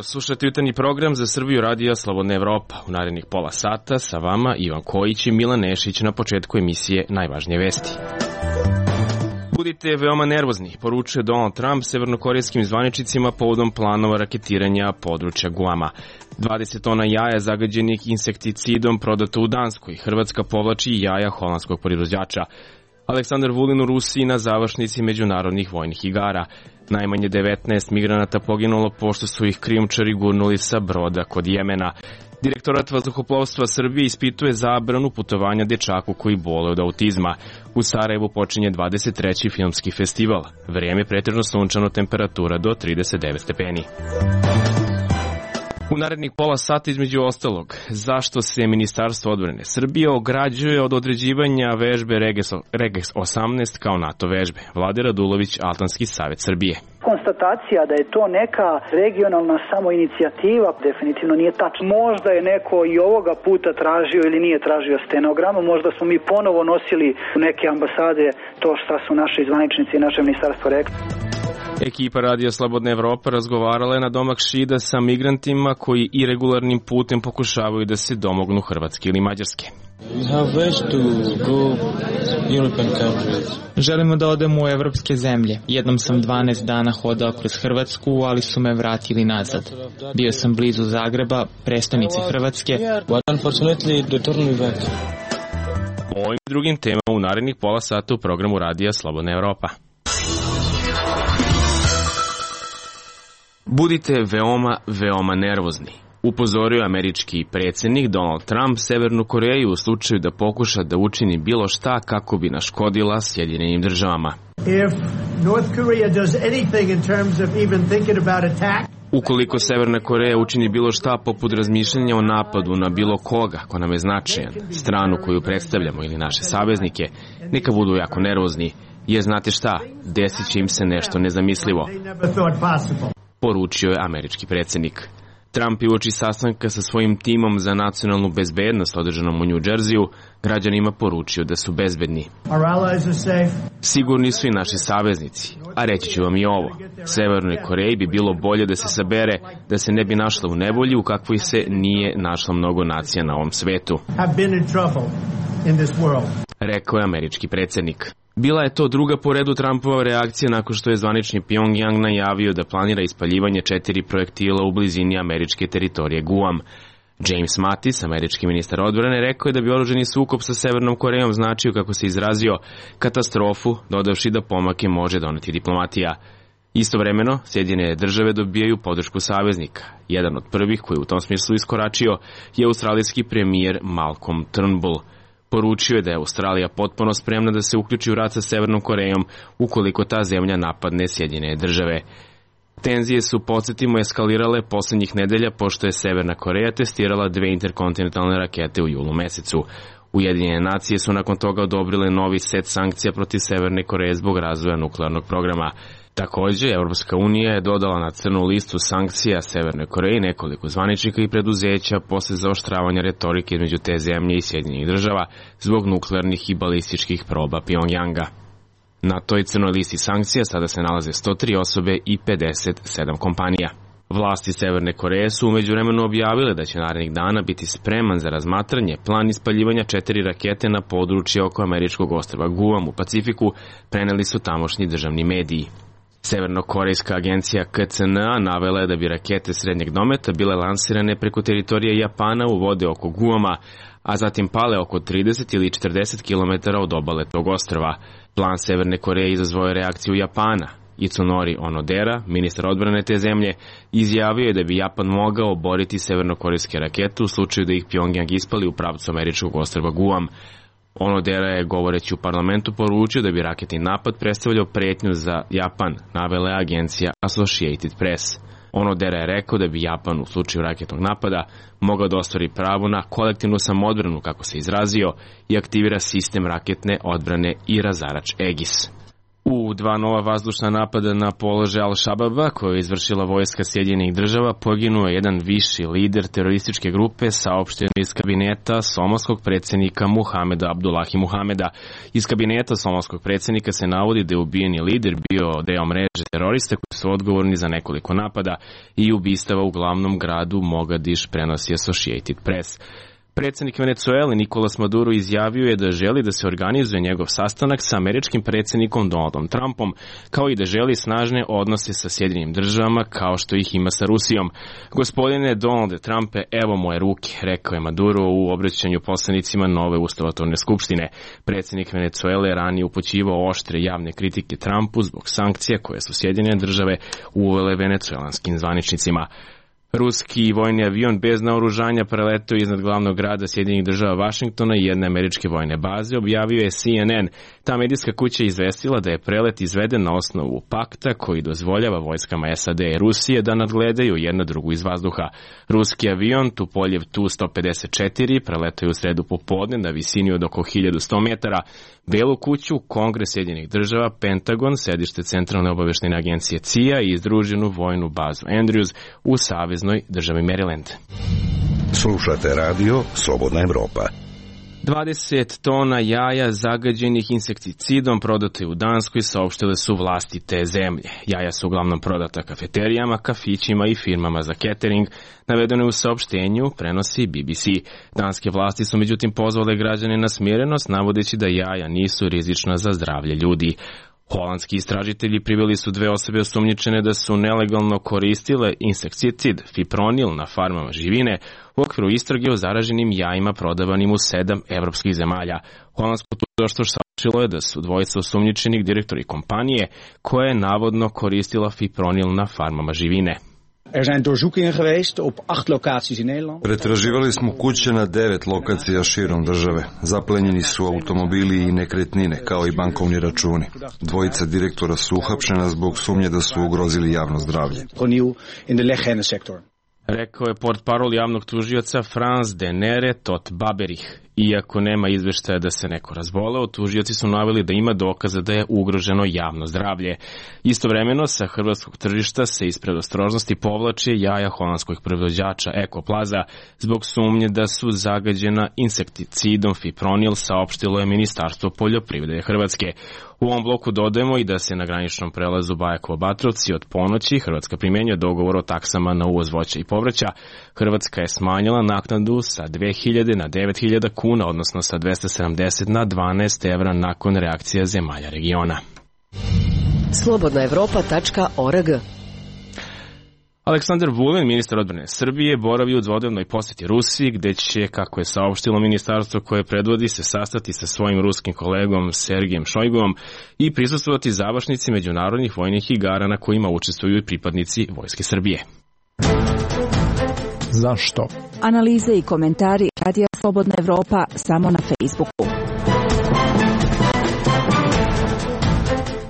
Slušajte jutarnji program za Srbiju radija Slobodna Evropa. U narednih pola sata sa vama Ivan Kojić i Milan Nešić na početku emisije Najvažnije vesti. Budite veoma nervozni, poručuje Donald Trump severnokorejskim zvaničnicima povodom planova raketiranja područja Guama. 20 tona jaja zagađenih insekticidom prodato u Danskoj. Hrvatska povlači jaja holandskog proizvođača. Aleksandar Vulin u Rusiji na završnici međunarodnih vojnih igara. Najmanje 19 migranata poginulo pošto su ih krijumčari gurnuli sa broda kod Jemena. Direktorat vazduhoplovstva Srbije ispituje zabranu putovanja dečaku koji boluje od autizma. U Sarajevu počinje 23. filmski festival. Vrijeme je pretežno sunčano, temperatura do 39 stepeni. U narednih pola sata između ostalog, zašto se Ministarstvo odbrane Srbije ograđuje od određivanja vežbe Reges 18 kao NATO vežbe. Vlade Radulović, Altanski savjet Srbije. Konstatacija da je to neka regionalna samoinicijativa definitivno nije tačno. Možda je neko i ovoga puta tražio ili nije tražio stenogramu, možda smo mi ponovo nosili u neke ambasade to šta su naši zvaničnici i naše ministarstvo rekli. Ekipa Radija Slobodna Evropa razgovarala je na domak Šida sa migrantima koji iregularnim putem pokušavaju da se domognu Hrvatske ili Mađarske. Želimo da odemo u evropske zemlje. Jednom sam 12 dana hodao kroz Hrvatsku, ali su me vratili nazad. Bio sam blizu Zagreba, prestonice Hrvatske. O ovim drugim temama u narednih pola sata u programu Radija Slobodna Evropa. Budite veoma nervozni, upozorio američki predsjednik Donald Trump Severnu Koreju u slučaju da pokuša da učini bilo šta kako bi naškodila Sjedinjenim državama. Ukoliko Severna Koreja učini bilo šta poput razmišljanja o napadu na bilo koga ko nam je značajan, stranu koju predstavljamo ili naše saveznike, neka budu jako nervozni, jer znate šta, desit će im se nešto nezamislivo, poručio je američki predsjednik. Trump je uoči sastanka sa svojim timom za nacionalnu bezbednost održanom u New Jersey-u građanima poručio da su bezbedni. Sigurni su i naši saveznici, a reći ću vam i ovo. Severnoj Koreji bi bilo bolje da se sabere, da se ne bi našla u nevolji u kakvoj se nije našla mnogo nacija na ovom svetu, rekao je američki predsjednik. Bila je to druga po redu Trumpova reakcija nakon što je zvanični Pyongyang najavio da planira ispaljivanje 4 projektila u blizini američke teritorije Guam. James Mattis, američki ministar odbrane, rekao je da bi oružani sukob sa Severnom Korejom značio, kako se izrazio, katastrofu, dodavši da pomake može doneti diplomatija. Istovremeno, Sjedinjene države dobijaju podršku saveznika. Jedan od prvih koji u tom smislu iskoračio je australijski premijer Malcolm Turnbull. Poručio je da je Australija potpuno spremna da se uključi u rat sa Severnom Korejom ukoliko ta zemlja napadne Sjedinjene države. Tenzije su, podsjetimo, eskalirale poslednjih nedelja pošto je Severna Koreja testirala 2 interkontinentalne rakete u julu mesecu. Ujedinjene nacije su nakon toga odobrile novi set sankcija protiv Severne Koreje zbog razvoja nuklearnog programa. Također, Evropska unija je dodala na crnu listu sankcija Severne Koreje nekoliko zvaničnika i preduzeća posle zaoštravanja retorike između te zemlje i Sjedinjenih država zbog nuklearnih i balističkih proba Pyongyanga. Na toj crnoj listi sankcija sada se nalaze 103 osobe i 57 kompanija. Vlasti Severne Koreje su u međuvremenu objavile da će narednih dana biti spreman za razmatranje plan ispaljivanja 4 rakete na područje oko američkog ostrva Guam u Pacifiku, preneli su tamošnji državni mediji. Severnokorejska agencija KCNA navela je da bi rakete srednjeg dometa bile lansirane preko teritorije Japana u vode oko Guama, a zatim pale oko 30 ili 40 km od obale tog ostrva. Plan Severne Koreje izazvao je reakciju Japana. Itsunori Onodera, ministar odbrane te zemlje, izjavio je da bi Japan mogao oboriti severnokorejske rakete u slučaju da ih Pyongyang ispali u pravcu američkog ostrva Guam. Onodera je, govoreći u parlamentu, poručio da bi raketni napad predstavljao pretnju za Japan, navela je agencija Associated Press. Onodera je rekao da bi Japan u slučaju raketnog napada mogao da ostvari pravo na kolektivnu samoodbranu, kako se izrazio, i aktivira sistem raketne odbrane i razarač Aegis. U 2 nova vazdušna napada na položaj Al-Shababa, koje je izvršila vojska Sjedinjenih država, poginuo je jedan viši lider terorističke grupe, saopšteno iz kabineta somalskog predsjednika Muhameda Abdullahi Muhameda. Iz kabineta somalskog predsjednika se navodi da je ubijeni lider bio deo mreže terorista koji su odgovorni za nekoliko napada i ubistava u glavnom gradu Mogadiš, prenosi Associated Press. Predsjednik Venecuele Nicolas Maduro izjavio je da želi da se organizuje njegov sastanak sa američkim predsjednikom Donaldom Trumpom, kao i da želi snažne odnose sa Sjedinjenim državama kao što ih ima sa Rusijom. Gospodine Donalde Trumpe, evo moje ruke, rekao je Maduro u obraćanju poslanicima nove ustavotvorne skupštine. Predsjednik Venecuele ranije upućivao oštre javne kritike Trumpu zbog sankcija koje su Sjedinjene države uvele venecuelanskim zvaničnicima. Ruski vojni avion bez naoružanja preletao iznad glavnog grada Sjedinjenih država Vašingtona i jedne američke vojne baze, objavio je CNN. Ta medijska kuća je izvestila da je prelet izveden na osnovu pakta koji dozvoljava vojskama SAD i Rusije da nadgledaju jedna drugu iz vazduha. Ruski avion Tupoljev Tu-154 preletao je u sredu popodne na visini od oko 1100 metara. Belu kuću, Kongres Sjedinjenih država, Pentagon, sedište Centralne obavještajne agencije CIA i izdruženu vojnu bazu Andrews u saveznoj državi Maryland. Slušate radio Slobodna Evropa. 20 tona jaja zagađenih insekticidom prodato je u Danskoj, saopštile su vlasti te zemlje. Jaja su uglavnom prodata kafeterijama, kafićima i firmama za catering, navedeno je u saopštenju, prenosi BBC. Danske vlasti su međutim pozvale građane na smirenost, navodeći da jaja nisu rizična za zdravlje ljudi. Holandski istražitelji priveli su 2 osobe osumnjičene da su nelegalno koristile insekticid fipronil na farmama živine u okviru istrage o zaraženim jajima prodavanim u 7 evropskih zemalja. Holandsko tužilaštvo saopštilo je da su 2 osumnjičenih direktori kompanije koja je navodno koristila fipronil na farmama živine. Pretraživali smo kuće na 9 lokacija širom države. Zaplenjeni su automobili i nekretnine, kao i bankovni računi. 2 direktora su uhapšena zbog sumnje da su ugrozili javno zdravlje. Rekao je portparol javnog tužioca Frans de Nere tot Baberich. Iako nema izveštaja da se neko razboleo, tužioci su naveli da ima dokaza da je ugroženo javno zdravlje. Istovremeno sa hrvatskog tržišta se iz predostrožnosti povlače jaja holandskog proizvođača Ekoplaza zbog sumnje da su zagađena insekticidom fipronil, saopštilo je Ministarstvo poljoprivrede Hrvatske. U ovom bloku dodajemo i da se na graničnom prelazu Bajakovo-Batrovci od ponoći Hrvatska primjenjuje dogovor o taksama na uvoz voća i povrća. Hrvatska je smanjila naknadu sa 2000 na 9000 kuna, odnosno sa 270 na 12 evra nakon reakcija zemalja regiona. Slobodnaevropa.org. Aleksandar Vulin, ministar odbrane Srbije, boravi u dvodnevnoj posjeti Rusiji, gde će, kako je saopštilo ministarstvo koje predvodi, se sastati sa svojim ruskim kolegom Sergijem Šojguom i prisustvovati završnici međunarodnih vojnih igara na kojima učestvuju i pripadnici Vojske Srbije. Zašto? Analize i komentari Radija Slobodna Evropa samo na Facebooku.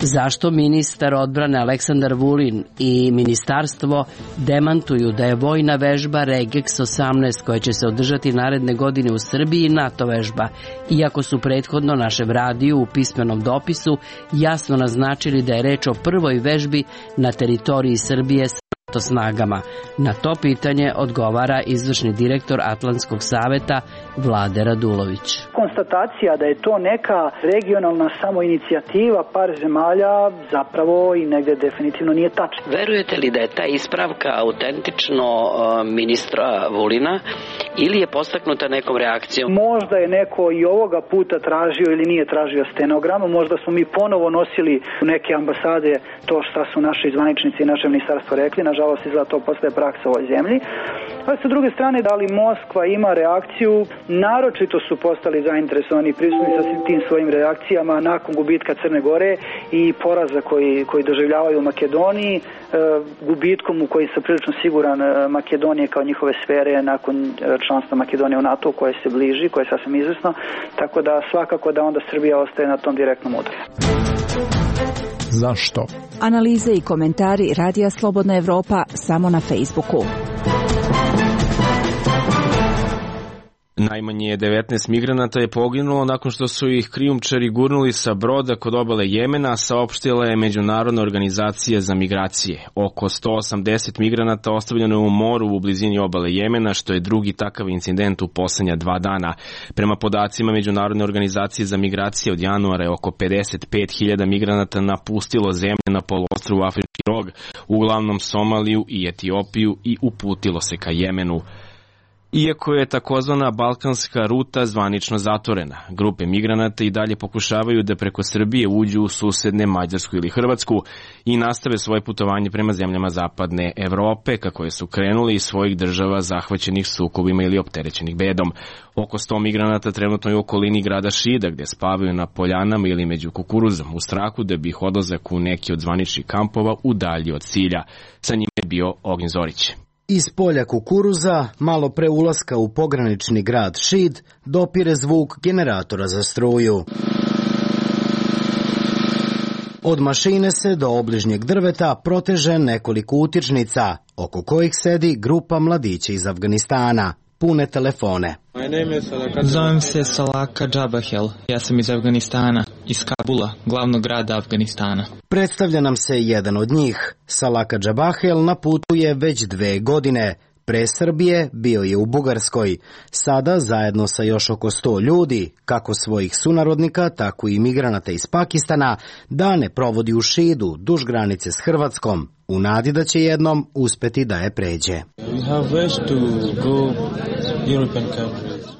Zašto ministar odbrane Aleksandar Vulin i ministarstvo demantuju da je vojna vežba Regex 18 koja će se održati naredne godine u Srbiji NATO vežba, iako su prethodno našem radiju u pismenom dopisu jasno naznačili da je reč o prvoj vežbi na teritoriji Srbije sa NATO snagama? Na to pitanje odgovara izvršni direktor Atlantskog saveta Vlade Radulović. Konstatacija da je to neka regionalna samoinicijativa par zemalja zapravo i negde definitivno nije tačno. Verujete li da je ta ispravka autentično ministra Vulina ili je postaknuta nekom reakcijom? Možda je neko i ovoga puta tražio ili nije tražio stenogram, možda smo mi ponovo nosili u neke ambasade to šta su naši zvaničnici i naše ministarstvo rekli, nažalost izgleda to postaje praksa u ovoj zemlji. A sa druge strane, da li Moskva ima reakciju, naročito su postali zainteresovani i prisutni sa tim svojim reakcijama nakon gubitka Crne Gore i poraza koji doživljavaju u Makedoniji, gubitkom u koji sam prilično siguran Makedonije kao njihove sfere nakon članstva Makedonije u NATO koje se bliži, koje je sasvim izvesno, tako da svakako da onda Srbija ostaje na tom direktnom udaru. Zašto? Analize i komentari Radija Slobodna Evropa samo na Facebooku. Najmanje 19 migranata je poginulo nakon što su ih krijumčari gurnuli sa broda kod obale Jemena, saopštila je Međunarodna organizacija za migracije. Oko 180 migranata ostavljeno je u moru u blizini obale Jemena, što je drugi takav incident u poslednja 2 dana. Prema podacima Međunarodne organizacije za migracije, od januara je oko 55.000 migranata napustilo zemlje na poluostrvu Afrički rog, uglavnom Somaliju i Etiopiju, i uputilo se ka Jemenu. Iako je takozvana balkanska ruta zvanično zatvorena, grupe migranata i dalje pokušavaju da preko Srbije uđu u susedne Mađarsku ili Hrvatsku i nastave svoje putovanje prema zemljama zapadne Evrope, kako je su krenuli iz svojih država zahvaćenih sukobima ili opterećenih bedom. Oko 100 migranata trenutno je u okolini grada Šida, gde spavaju na poljanama ili među kukuruzom, u strahu da bi ih odlazak u neki od zvaničnih kampova udaljio od cilja. Sa njima je bio Ognjen Zorić. Iz polja kukuruza, malo pre ulaska u pogranični grad Šid, dopire zvuk generatora za struju. Od mašine se do obližnjeg drveta proteže nekoliko utičnica, oko kojih sedi grupa mladića iz Afganistana, pune telefone. Zovem se Salaka Džabahel, ja sam iz Afganistana, iz Kabula, glavnog grada Afganistana. Predstavlja nam se jedan od njih. Salaka Džabahel na putu je već 2 godine. Pre Srbije bio je u Bugarskoj. Sada, zajedno sa još oko 100 ljudi, kako svojih sunarodnika, tako i migranata iz Pakistana, dane provodi u Šidu, duž granice s Hrvatskom, u nadi da će jednom uspeti da je pređe.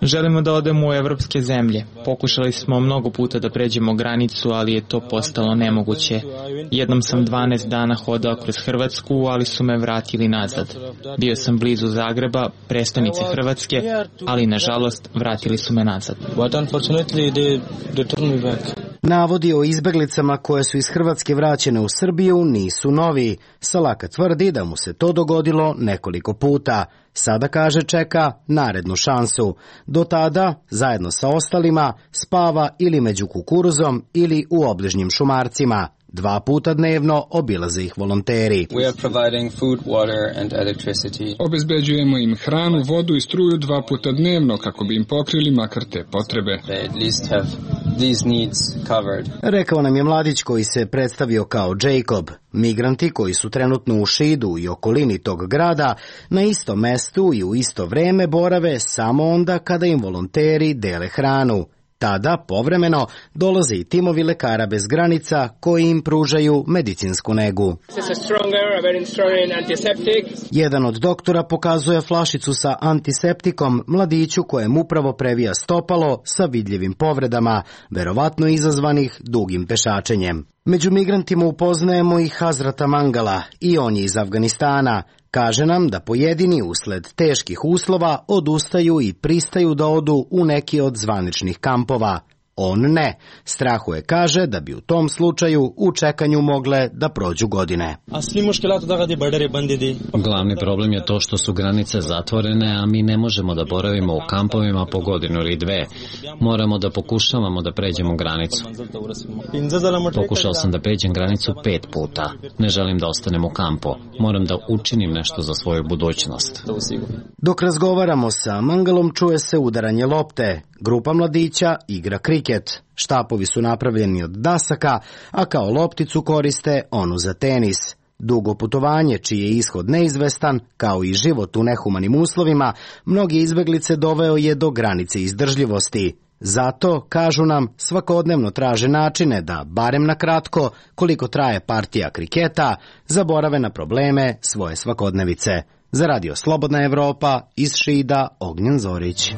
Želimo da odemo u evropske zemlje. Pokušali smo mnogo puta da pređemo granicu, ali je to postalo nemoguće. Jednom sam 12 dana hodao kroz Hrvatsku, ali su me vratili nazad. Bio sam blizu Zagreba, prestonice Hrvatske, ali nažalost vratili su me nazad. Navodi o izbeglicama koje su iz Hrvatske vraćene u Srbiju nisu novi. Salaka tvrdi da mu se to dogodilo nekoliko puta. Sada, kaže, čeka narednu šansu. Do tada, zajedno sa ostalima, spava ili među kukuruzom ili u obližnjim šumarcima. 2 puta dnevno obilaze ih volonteri. Obezbeđujemo im hranu, vodu i struju 2 puta dnevno kako bi im pokrili makar te potrebe. Rekao nam je mladić koji se predstavio kao Jacob. Migranti koji su trenutno u Šidu i okolini tog grada na istom mestu i u isto vreme borave samo onda kada im volonteri dele hranu. Tada, povremeno, dolaze i timovi lekara bez granica koji im pružaju medicinsku negu. Jedan od doktora pokazuje flašicu sa antiseptikom mladiću kojem upravo previja stopalo sa vidljivim povredama, verovatno izazvanih dugim pešačenjem. Među migrantima upoznajemo i Hazrata Mangala, i on je iz Afganistana. Kaže nam da pojedini usled teških uslova odustaju i pristaju da odu u neki od zvaničnih kampova. On ne. Strahuje, kaže, da bi u tom slučaju u čekanju mogle da prođu godine. Glavni problem je to što su granice zatvorene, a mi ne možemo da boravimo u kampovima po godinu ili 2. Moramo da pokušavamo da pređemo granicu. Pokušao sam da pređem granicu 5 puta. Ne želim da ostanem u kampu. Moram da učinim nešto za svoju budućnost. Dok razgovaramo sa Mangalom, čuje se udaranje lopte. Grupa mladića igra kriket. Štapovi su napravljeni od dasaka, a kao lopticu koriste onu za tenis. Dugo putovanje, čiji je ishod neizvestan, kao i život u nehumanim uslovima, mnogi izbeglice doveo je do granice izdržljivosti. Zato, kažu nam, svakodnevno traže načine da, barem na kratko, koliko traje partija kriketa, zaborave na probleme svoje svakodnevice. Za Radio Slobodna Evropa, iz Šida, Ognjen Zorić.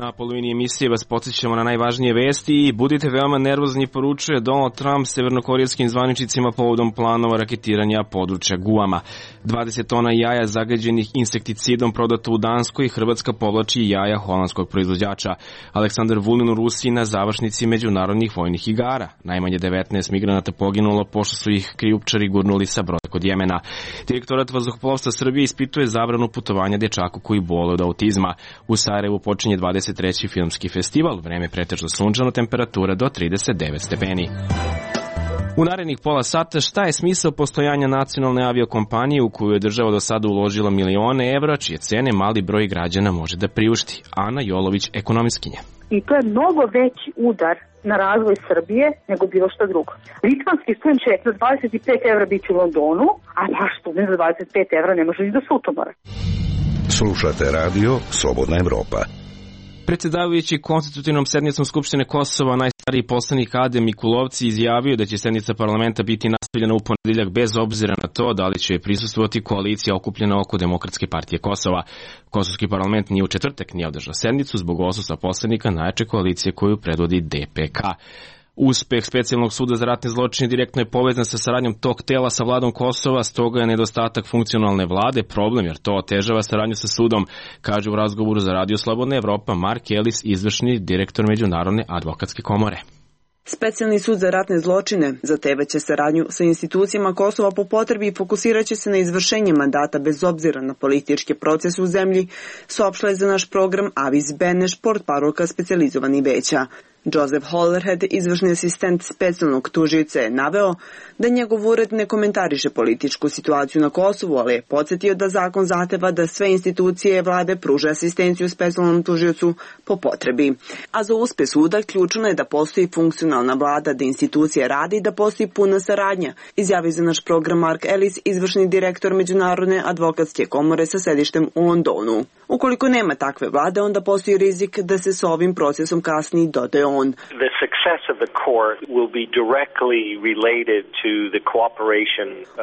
Na polovini emisije vas podsjećamo na najvažnije vesti i budite veoma nervozni, poručuje Donald Trump severnokorijskim zvaničnicima povodom planova raketiranja područja Guama. 20 tona jaja zagađenih insekticidom prodato u Danskoj i Hrvatska povlači jaja holandskog proizvođača. Aleksandar Vulin u Rusiji na završnici međunarodnih vojnih igara. Najmanje 19 migranata poginulo pošto su ih krijumčari gurnuli sa broda kod Jemena. Direktorat vazduhoplovstva Srbije ispituje zabranu putovanja dečaku koji boluje od autizma. U Sarajevu počinje 23. filmski festival, vreme pretežno sunčano, temperatura do 39 stepeni. U narednih pola sata šta je smisao postojanja nacionalne aviokompanije u koju je država do sada uložila milione evra, čije cene mali broj građana može da priušti. Ana Jolović, ekonomistkinja. I to je mnogo veći udar na razvoj Srbije nego bilo što drugo. Litvanski student će za 25 evra biti u Londonu, a naš student za 25 evra ne može ni do Sutomora. Slušate radio Slobodna Evropa. Predsjedavajući konstitutivnom sednicom Skupštine Kosova, najstariji poslanik Adem Mikulovci izjavio da će sednica parlamenta biti nastavljena u ponedeljak bez obzira na to da li će prisustvovati koalicija okupljena oko Demokratske partije Kosova. Kosovski parlament nije u četvrtak nije održao sednicu zbog odsustva poslanika najjače koalicije koju predvodi DPK. Uspeh Specijalnog suda za ratne zločine direktno je povezan sa saradnjom tog tela sa vladom Kosova, stoga je nedostatak funkcionalne vlade problem jer to otežava saradnju sa sudom, kaže u razgovoru za Radio Slobodna Evropa Mark Ellis, izvršni direktor Međunarodne advokatske komore. Specijalni sud za ratne zločine zahtevaće saradnju sa institucijama Kosova po potrebi i fokusirat će se na izvršenje mandata bez obzira na političke procese u zemlji, saopštila je za naš program Avis Beneš, portparolka specijalizovanih veća. Joseph Hollerhead, izvršni asistent specijalnog tužioca, je naveo da njegov ured ne komentariše političku situaciju na Kosovu, ali je podsjetio da zakon zahteva da sve institucije vlade pruže asistenciju specijalnom tužiocu po potrebi. A za uspeh suda ključno je da postoji funkcionalna vlada, da institucije radi i da postoji puna saradnja, izjavio za naš program Mark Ellis, izvršni direktor Međunarodne advokatske komore sa sedištem u Londonu. Ukoliko nema takve vlade, onda postoji rizik da se s ovim procesom kasni, dodaje on.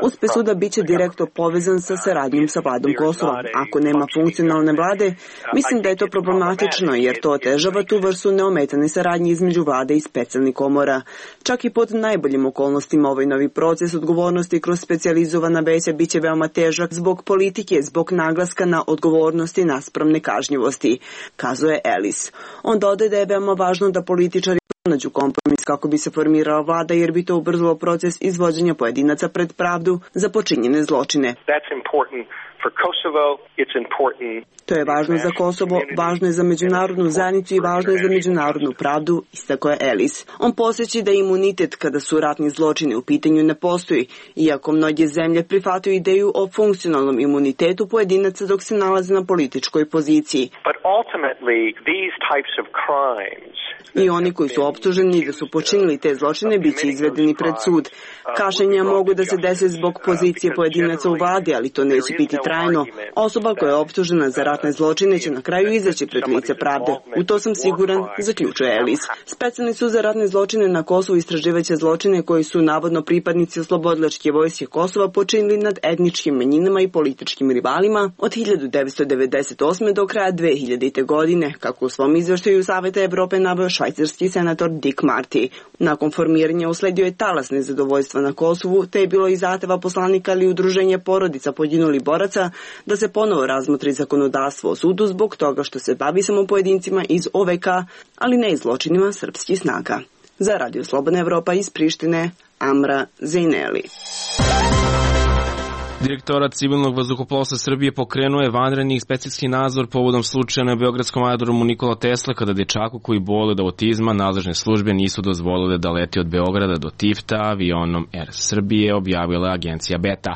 Uspeh suda biće direktno povezan sa saradnjom sa vladom Kosova. Ako nema funkcionalne vlade, mislim da je to problematično jer to otežava tu vrstu neometane saradnje između vlade i specijalnih komora. Čak i pod najboljim okolnostima ovaj novi proces odgovornosti kroz specijalizovana veća biće veoma težak zbog politike, zbog naglaska na odgovornosti naspram nekažnjivosti, kazuje Ellis. On dodaje da je veoma važno da političari pronađu kompromis kako bi se formirala vlada jer bi to ubrzalo proces izvođenja pojedinaca pred pravdu za počinjene zločine. To je važno za Kosovo, važno je za međunarodnu zajednicu i važno je za međunarodnu pravdu, istakao je Ellis. On podsjeća da imunitet kada su ratni zločini u pitanju ne postoji, iako mnoge zemlje prihvataju ideju o funkcionalnom imunitetu pojedinaca dok se nalaze na političkoj poziciji. I oni koji su optuženi da su počinili te zločine biće izvedeni pred sud. Kašnjenja mogu da se dese zbog pozicije pojedinaca u vladi, ali to neće biti trajno. Osoba koja je optužena za ratne zločine će na kraju izaći pred lice pravde. U to sam siguran, zaključuje Ellis. Specijalni sud za ratne zločine na Kosovu istraživaće zločine koji su navodno pripadnici oslobodilačke vojske Kosova počinili nad etničkim manjinama i političkim rivalima od 1998. do kraja 2000. godine, kako u svom izveštaju Saveta Evrope naveo švajcarski senator Dick Marty. Nakon formiranja usledio je talas nezadovoljstva na Kosovu, te je bilo i zahteva poslanika ali udruženje porodica poginulih boraca da se ponovo razmotri zakonodavstvo o sudu zbog toga što se bavi samo pojedincima iz OVK, ali ne i zločinima srpskih snaga. Za Radio Slobodna Evropa iz Prištine, Amra Zejneli. Direktorat civilnog vazduhoplovstva Srbije pokrenuo je vanredni inspekcijski nadzor povodom slučaja na beogradskom aerodromu Nikola Tesla kada dečaku koji boluje od autizma nadležne službe nisu dozvolile da leti od Beograda do Tifta avionom Air Srbije, objavila agencija Beta.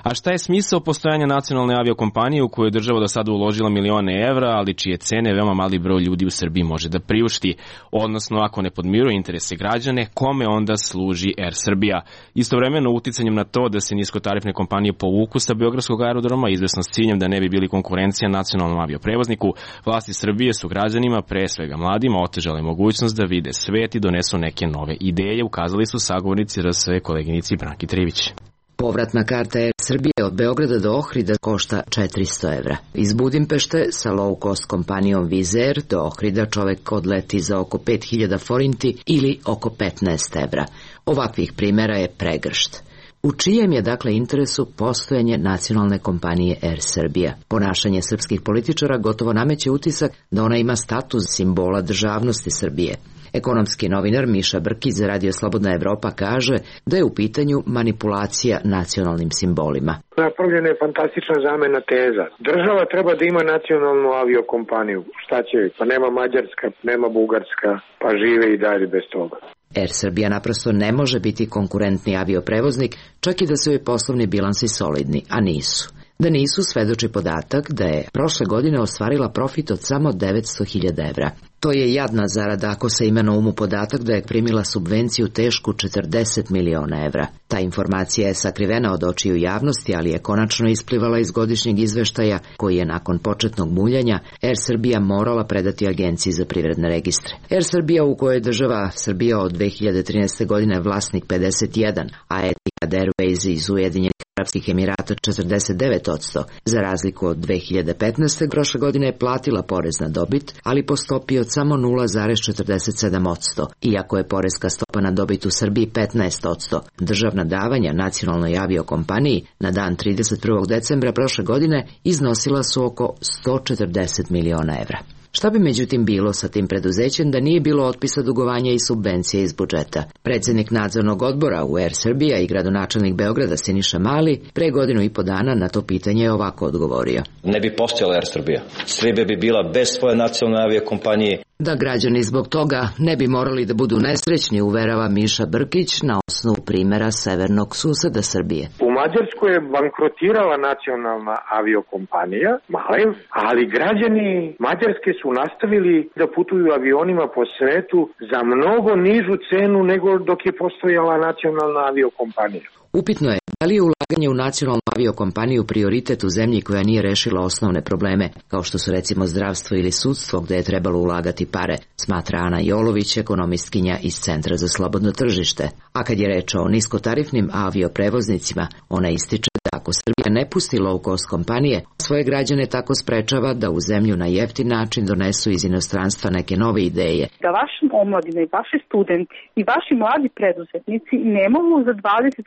A šta je smisao postojanja nacionalne aviokompanije u kojoj je država do sada uložila milione evra, ali čije cene veoma mali broj ljudi u Srbiji može da priušti? Odnosno, ako ne podmiruje interese građane, kome onda služi Air Srbija? Istovremeno, uticanjem na to da se niskotarifne kompanije povuku sa beogradskog aerodroma, izvesno s ciljem da ne bi bili konkurencija nacionalnom avioprevozniku, vlasti Srbije su građanima, pre svega mladima, otežale mogućnost da vide svet i donesu neke nove ideje, ukazali su sagovornici RS koleginici Branki Trivić. Povratna karta Air Srbije od Beograda do Ohrida košta 400 evra. Iz Budimpešte sa low cost kompanijom Wizz Air do Ohrida čovek odleti za oko 5000 forinti ili oko 15 evra. Ovakvih primjera je pregršt. U čijem je dakle interesu postojanje nacionalne kompanije Air Srbija? Ponašanje srpskih političara gotovo nameće utisak da ona ima status simbola državnosti Srbije. Ekonomski novinar Miša Brkić za Radio Slobodna Evropa kaže da je u pitanju manipulacija nacionalnim simbolima. Napravljena je fantastična zamena teza. Država treba da ima nacionalnu aviokompaniju. Šta će? Pa nema Mađarska, nema Bugarska, pa žive i dalje bez toga. Air Srbija naprosto ne može biti konkurentni avioprevoznik, čak i da su joj poslovni bilansi solidni, a nisu. Da nisu svedoči podatak da je prošle godine ostvarila profit od samo 900.000 evra. To je jadna zarada ako se ima na umu podatak da je primila subvenciju tešku 40 miliona evra. Ta informacija je sakrivena od očiju javnosti, ali je konačno isplivala iz godišnjeg izveštaja koji je nakon početnog muljanja Air Srbija morala predati Agenciji za privredne registre. Air Srbija, u kojoj je država Srbija od 2013. godine vlasnik 51, a Etihad Airways iz Ujedinjenih Arapskih Emirata 49%, za razliku od 2015. prošle godine je platila porez na dobit, ali po stopi od samo 0,47%, iako je poreska stopa na dobit u Srbiji 15%. Državna davanja nacionalnoj aviokompaniji na dan 31. decembra prošle godine iznosila su oko 140 miliona evra. Šta bi međutim bilo sa tim preduzećem da nije bilo otpisa dugovanja i subvencije iz budžeta? Predsjednik nadzornog odbora u Air Srbija i gradonačelnik Beograda Siniša Mali pre godinu i po dana na to pitanje je ovako odgovorio. Ne bi postojala Air Srbija. Srbija bi bila bez svoje nacionalne aviokompanije. Da građani zbog toga ne bi morali da budu nesrećni, uverava Miša Brkić na osnovu primjera severnog suseda Srbije. U Mađarskoj je bankrotirala nacionalna aviokompanija, Malev, ali građani Mađarske su nastavili da putuju avionima po svetu za mnogo nižu cenu nego dok je postojala nacionalna aviokompanija. Upitno je da li je ulaganje u nacionalnu aviokompaniju prioritet u zemlji koja nije rešila osnovne probleme, kao što su recimo zdravstvo ili sudstvo gde je trebalo ulagati pare, smatra Ana Jolović, ekonomistkinja iz Centra za slobodno tržište. A kad je reč o niskotarifnim avioprevoznicima, ona ističe da ako Srbija ne pusti low-cost kompanije, svoje građane tako sprečava da u zemlju na jeftin način donesu iz inostranstva neke nove ideje. Da vaši omladine i vaši studenti i vaši mladi preduzetnici ne mogu za 20,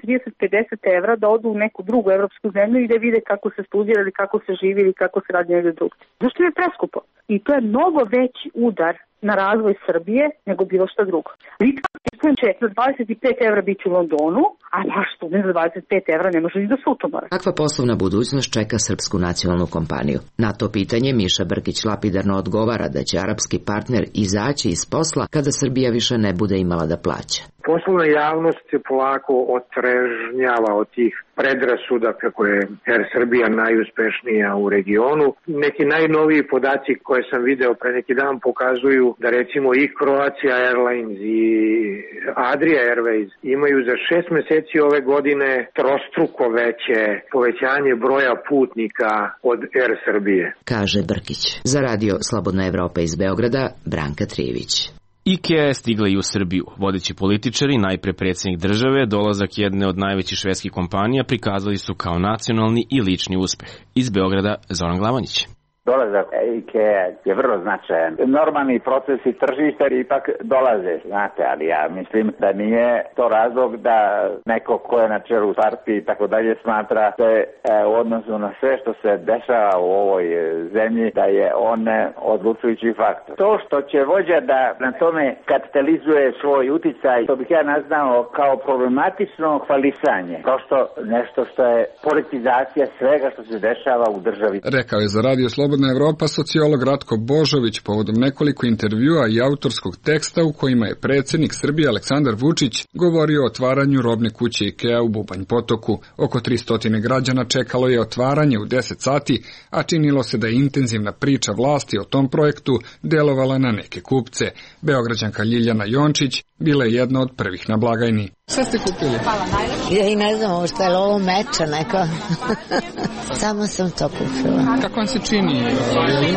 30, 50 evra da odu u neku drugu evropsku zemlju i da vide kako se studira ili kako se živi ili kako se radi negdje drugdje. Zašto je preskupo? I to je mnogo veći udar na razvoj Srbije nego bilo što drugo. Litvanski student će za 25 evra biti u Londonu, a vaš student za 25 evra ne može ni do Sutomora. Kakva poslovna budućnost čeka srpsku nacionalnu kompaniju? Na to pitanje Miša Brkić lapidarno odgovara da će arapski partner izaći iz posla kada Srbija više ne bude imala da plaća. Poslovna javnost se polako otrežnjava od tih predrasuda kako je Air Srbija najuspešnija u regionu. Neki najnoviji podaci koje sam video pre neki dan pokazuju da recimo i Croatia Airlines i Adria Airways imaju za 6 meseci ove godine trostruko veće povećanje broja putnika od Air Srbije, kaže Brkić. Za radio Slobodna Evropa iz Beograda, Branka Trijević. IKEA je stigla i u Srbiju. Vodeći političari, najpre predsjednik države, dolazak jedne od najvećih švedskih kompanija prikazali su kao nacionalni i lični uspeh. Iz Beograda, Zoran Glavonić. Dolazak IKEA je vrlo značajan. Normalni procesi tržišta ipak dolaze, znate, ali ja mislim da nije to razlog da neko ko je na čelu partije i tako dalje smatra da je u odnosu na sve što se dešava u ovoj zemlji da je on odlučujući faktor. To što će vođa da na tome kapitalizuje svoj uticaj, to bih ja nazvao kao problematično hvalisanje. Prosto nešto što je politizacija svega što se dešava u državi. Rekao je za radio Slobodna Evropa sociolog Ratko Božović povodom nekoliko intervjua i autorskog teksta u kojima je predsjednik Srbije Aleksandar Vučić govorio o otvaranju robne kuće IKEA u Bubanj Potoku. Oko 300 građana čekalo je otvaranje u 10 sati, a činilo se da je intenzivna priča vlasti o tom projektu delovala na neke kupce. Beograđanka Ljiljana Jončić bila je jedna od prvih na blagajni. Šta ste kupili? Ja i ne znam šta je ovo meča neko. Samo sam to kupila. Kako vam se čini?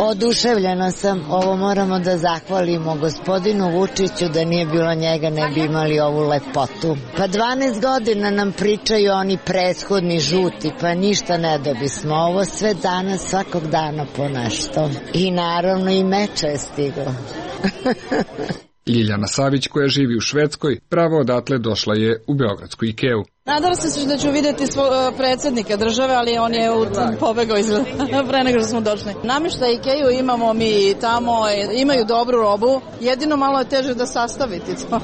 Oduševljena sam. Ovo moramo da zahvalimo gospodinu Vučiću, da nije bilo njega ne bi imali ovu lepotu. Pa 12 godina nam pričaju oni prethodni žuti, pa ništa ne dobismo. Ovo sve danas, svakog dana po nešto. I naravno i meča je stiglo. Ljiljana Savić, koja živi u Švedskoj, pravo odatle došla je u beogradsku IKEA-u. Nadala sam se da ću vidjeti predsjednika države, ali on je pobegao pre nego što smo došli. Namještaj IKEA-u imamo mi tamo, imaju dobru robu, jedino malo je teže da sastaviti to.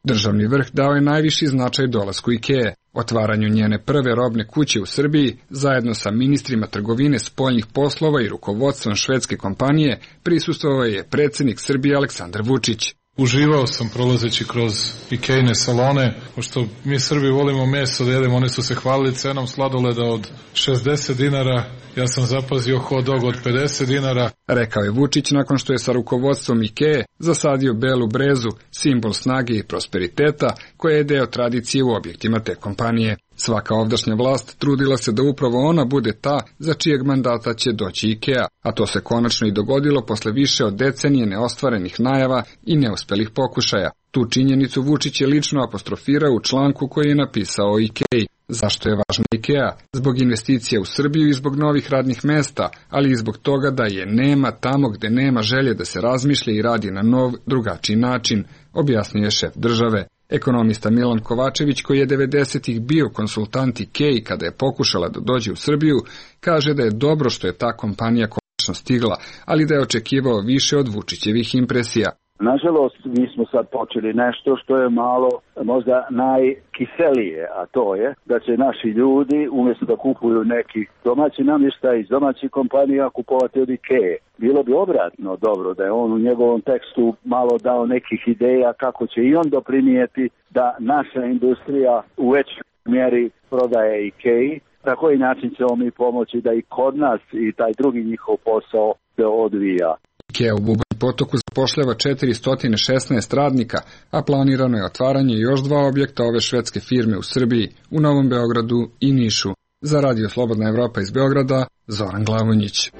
Državni vrh dao je najviši značaj dolasku IKEA, otvaranju njene prve robne kuće u Srbiji, zajedno sa ministrima trgovine, spoljnih poslova i rukovodstvom švedske kompanije, prisustvovao je predsjednik Srbije Aleksandar Vučić. Uživao sam prolazeći kroz Ikejne salone, pošto mi Srbi volimo meso da jedemo, oni su se hvalili cenom sladoleda od 60 dinara, ja sam zapazio hot dog od 50 dinara. Rekao je Vučić nakon što je sa rukovodstvom Ikeje zasadio belu brezu, simbol snage i prosperiteta, koja je deo tradicije u objektima te kompanije. Svaka ovdašnja vlast trudila se da upravo ona bude ta za čijeg mandata će doći Ikea, a to se konačno i dogodilo posle više od decenije neostvarenih najava i neuspelih pokušaja. Tu činjenicu Vučić je lično apostrofirao u članku koji je napisao o Ikeji. Zašto je važna Ikea? Zbog investicija u Srbiju i zbog novih radnih mesta, ali i zbog toga da je nema tamo gde nema želje da se razmišlja i radi na nov, drugačiji način, objasnio je šef države. Ekonomista Milan Kovačević, koji je 90-ih bio konsultant Ikeji kada je pokušala da dođe u Srbiju, kaže da je dobro što je ta kompanija konačno stigla, ali da je očekivao više od Vučićevih impresija. Nažalost, mi smo sad počeli nešto što je malo možda najkiselije, a to je da će naši ljudi umjesto da kupuju neki domaći namještaj iz domaćih kompanija kupovati od Ikeje. Bilo bi obratno dobro da je on u njegovom tekstu malo dao nekih ideja kako će i on doprinijeti da naša industrija u većoj mjeri prodaje Ikeji. Na koji način ćemo mi pomoći da i kod nas i taj drugi njihov posao se odvija. Ikea u Bubanj Potoku zapošljava 416 radnika, a planirano je otvaranje još 2 objekta ove švedske firme u Srbiji, u Novom Beogradu i Nišu. Za Radio Slobodna Evropa iz Beograda, Zoran Glavonjić.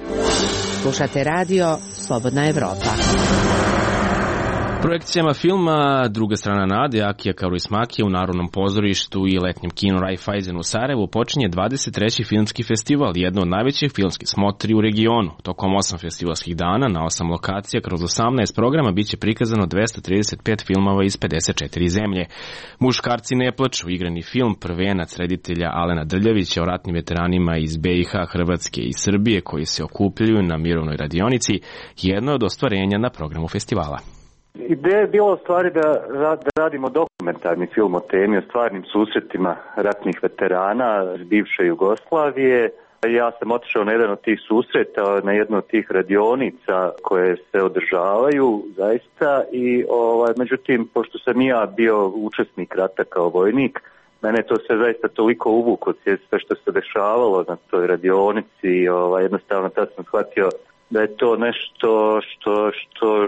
Slušate Radio Slobodna Evropa. Projekcijama filma Druga strana nade Akija Kaurismäkija u Narodnom pozorištu i letnjem kinu Raiffeisen u Sarajevu počinje 23. filmski festival, jedno od najvećih filmskih smotri u regionu. Tokom 8 festivalskih dana na 8 lokacija kroz 18 programa biće prikazano 235 filmova iz 54 zemlje. Muškarci ne plaču, igrani film prvenac reditelja Alena Drljavića o ratnim veteranima iz BiH, Hrvatske i Srbije koji se okupljaju na mirovnoj radionici, jedno je od ostvarenja na programu festivala. Ideja je bila u stvari da radimo dokumentarni film o temi, o stvarnim susretima ratnih veterana iz bivše Jugoslavije. Ja sam otišao na jedan od tih susreta, na jednu od tih radionica koje se održavaju zaista i međutim, pošto sam i ja bio učesnik rata kao vojnik, mene to sve zaista toliko uvuklo, sve što se dešavalo na toj radionici, jednostavno tad sam shvatio da je to nešto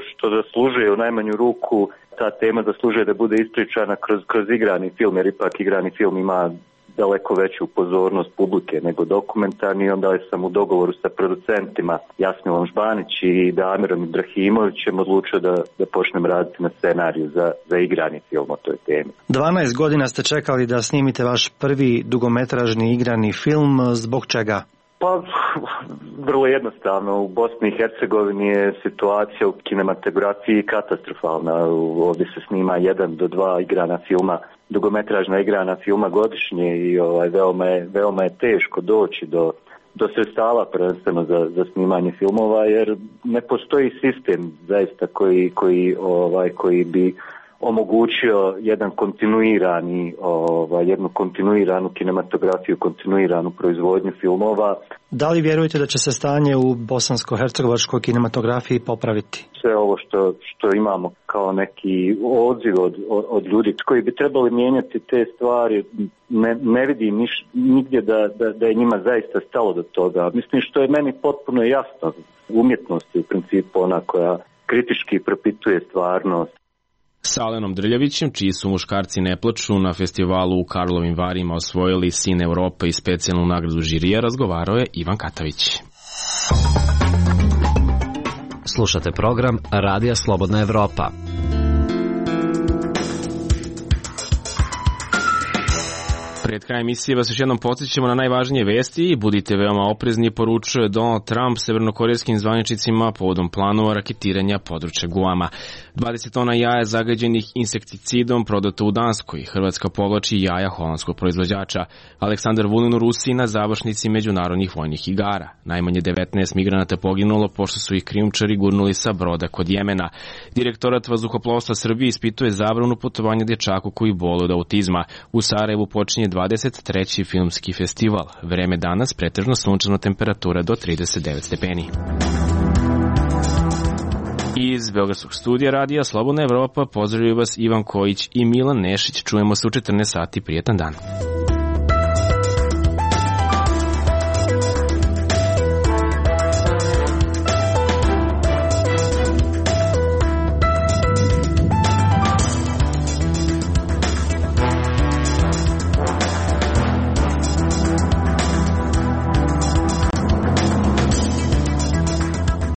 što zaslužuje u najmanju ruku, ta tema zaslužuje da bude ispričana kroz igrani film, jer ipak igrani film ima daleko veću pozornost publike nego dokumentarni. Onda sam u dogovoru sa producentima Jasmilom Žbanić i Damirom Ibrahimovićem odlučio da počnem raditi na scenariju za igrani film o toj temi. 12 godina ste čekali da snimite vaš prvi dugometražni igrani film, zbog čega? Pa, vrlo jednostavno. U Bosni i Hercegovini je situacija u kinematografiji katastrofalna. Ovdje se snima 1 do 2 igrana filma, dugometražna igrana filma godišnje i veoma je teško doći do sredstava prvenstveno za snimanje filmova, jer ne postoji sistem zaista koji bi omogućio jednu kontinuiranu kinematografiju, kontinuiranu proizvodnju filmova. Da li vjerujete da će se stanje u bosansko-hercegovačkoj kinematografiji popraviti? Sve ovo što imamo kao neki odziv od ljudi koji bi trebali mijenjati te stvari, ne vidim nigdje da je njima zaista stalo do toga. Mislim, što je meni potpuno jasno, umjetnost je u principu ona koja kritički propituje stvarnost. S Alenom Drljavićem, čiji su Muškarci ne plaču na festivalu u Karlovim Varima osvojili Sin Evrope i specijalnu nagradu žirija, razgovarao je Ivan Katavić. Slušate program Radija Slobodna Evropa. Pred krajem emisije vas još jednom podsjećamo na najvažnije vesti i budite veoma oprezni, poručuje Donald Trump severnokorejskim zvaničnicima povodom planova raketiranja područja Guama. 20 tona jaja zagađenih insekticidom prodato u Danskoj. Hrvatska povlači jaja holandskog proizvođača. Aleksandar Vulin u Rusiji na završnici međunarodnih vojnih igara. Najmanje 19 migranata poginulo pošto su ih krijumčari gurnuli sa broda kod Jemena. Direktorat vazduhoplovstva Srbije ispituje zabranu putovanja dječaku koji boluje od autizma. U Sarajevu počinje 23. filmski festival. Vreme danas pretežno sunčano, temperatura do 39 stepeni. Iz Beogradskog studija radija Slobodna Evropa pozdravljaju vas Ivan Kojić i Milan Nešić. Čujemo se u 14 sati. Prijetan dan.